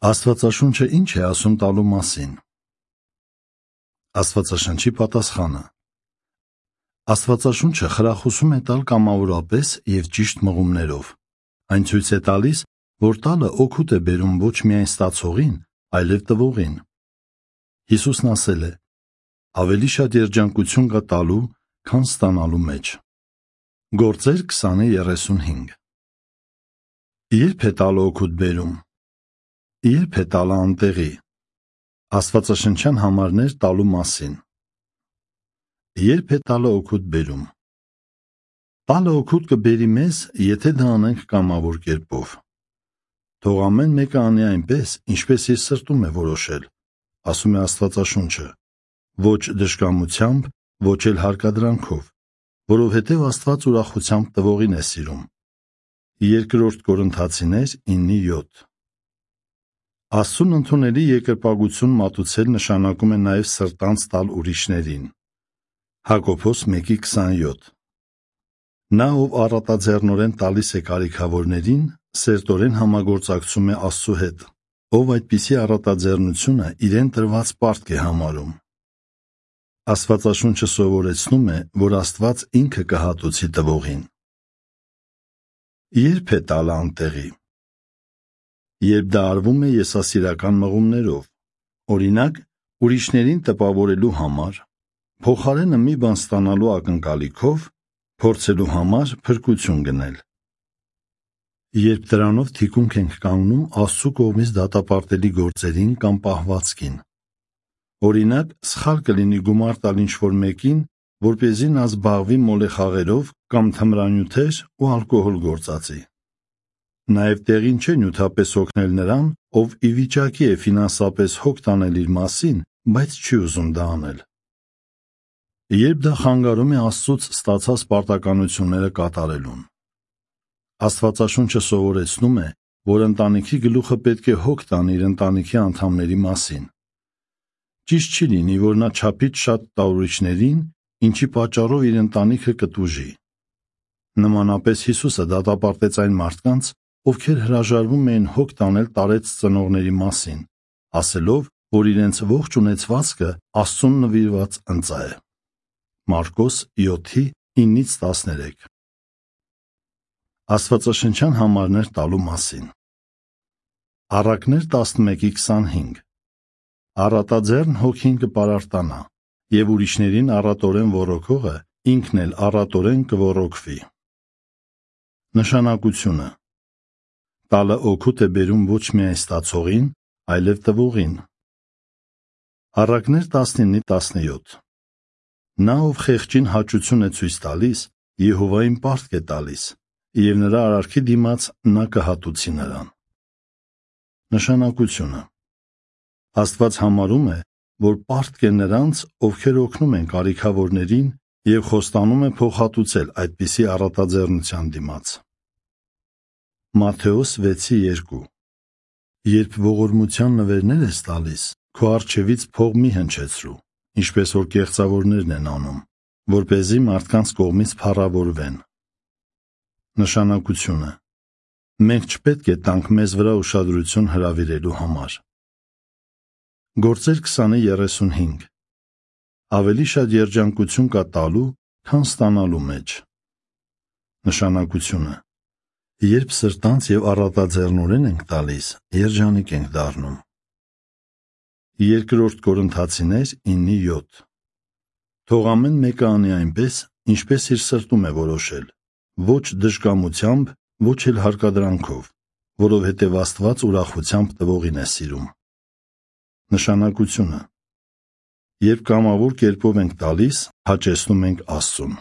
Աստվածաշունչը ինչ է ասում տալու մասին։ Աստվածաշնչի պատասխանը. Աստվածաշունչը խրախուսում է տալ կամավորապես և ճիշտ մղումներով։ Այն ցույց է տալիս, որ տալը օգուտ է բերում ոչ միայն ստացողին, այլև տվողին։ Հիսուսն ասել է. ավելի շատ երջանկություն կա տալու, քան ստանալու մեջ։ Գործեր 20:35։ Երբ է տալը օգուտ բերում։ Երբ է տալը անտեղի։ Աստվածաշնչյան համարներ տալու մասին։ Երբ է տալը օգուտ բերում։ Տալը օգուտ կբերի մեզ, եթե դա անենք կամավոր կերպով։ Թող ամեն մեկը անի այնպես, ինչպես իր սրտում է որոշել, ասում է Աստվածաշունչը, ոչ դժկամությամբ, ոչ էլ հարկադրանքով, որովհետև Աստված ուրախությամբ տվողին է սիրում։ 2 Կորնթացիներ 9:7։ Աստծուն ընդունելի երկրպագություն մատուցել նշանակում է նաև սրտանց տալ ուրիշներին։ Հակոբոս 1:27։ Նա, ով առատաձեռնորեն տալիս է կարիքավորներին, սերտորեն համագործակցում է Աստծու հետ, ով այդպիսի առատաձեռնությունը իրեն տրված պարտք է համարում։ Աստվածաշունչը սովորեցնում է, որ Աստված ինքը կհատուցի տվողին։ Երբ է տալը անտեղի։ Երբ դա արվում է եսասիրական մղումներով, օրինակ, ուրիշներին տպավորելու համար, փոխարենը մի բան ստանալու ակնկալիքով, փորձելու համար փրկություն գնել։ Երբ դրանով թիկունք ենք կանգնում Աստծու կողմից դատապարտելի գործերին կամ պահվածքին։ Օրինակ, սխալ կլինի գումար տալ ինչ-որ մեկին, որպեսզի նա զբաղվի մոլեխաղերով կամ թմրանյութեր ու ալկոհոլ գործածի։ Նաև տեղին չէ նյութապես օգնել նրան, ով ի վիճակի է ֆինանսապես հոգ տանել իր մասին, բայց չի ուզում դա անել։ Երբ դա խանգարում է Աստծուց ստացած պարտականությունները կատարելուն։ Աստվածաշունչը սովորեցնում է, որ ընտանիքի գլուխը պետք է հոգ տանի իր ընտանիքի անդամների մասին։ Ճիշտ չի լինի, որ նա չափից շատ տա ուրիշներին, ինչի պատճառով իր ընտանիքը կտուժի։ Նմանապես Հիսուսը դատապարտեց այն մարդկանց, ովքեր հրաժարվում էին հոգ տանել տարեց ծնողների մասին, ասելով, որ իրենց ողջ ունեցվածքը Աստծուն նվիրված ընծա է։ Մարկոս 7:9-13։ Աստվածաշնչյան համարներ տալու մասին։ Առակներ 11:25։ Առատաձեռն հոգին կպարարտանա, և ուրիշներին առատորեն ոռոգողը ինքն էլ առատորեն կոռոգվի։ Նշանակությունը։ Տալը օգուտ է բերում ոչ միայն ստացողին, այլև տվողին։ Առակներ 19:17։ Նա, ով խեղճին հաճություն է ցույց տալիս, Եհովային պարտք է տալիս, և նրա արարքի դիմաց նա կհատուցի նրան։ Նշանակությունը։ Աստված համարում է, որ պարտք է նրանց, ովքեր օգնում են կարիքավորներին և խոստանում է փոխհատուցել այդպիսի առատաձեռնության դիմաց։ Մատթեոս 6:2։ Երբ ողորմության նվերներ ես տալիս, քո առջևից փող մի հնչեցրու, ինչպես որ կեղծավորներն են անում, որպեսզի մարդկանց կողմից փառավորվեն։ Նշանակությունը։ Մենք չպետք է տանք մեզ վրա ուշադրություն հրավիրելու համար։ Գործեր 20:35։ Ավելի շատ երջանկություն կա տալու, քան ստանալու մեջ։ Նշանակությունը։ Երբ սրտանց և առատաձեռնորեն ենք տալիս, երջանիկ ենք դառնում։ 2 Կորնթացիներ 9:7։ Թող ամեն մեկը անի այնպես, ինչպես իր սրտում է որոշել, ոչ դժկամությամբ, ոչ էլ հարկադրանքով, որովհետև Աստված ուրախությամբ տվողին է սիրում։ Նշանակությունը։ Երբ կամավոր կերպով ենք տալիս, հաճեցնում ենք Աստծուն։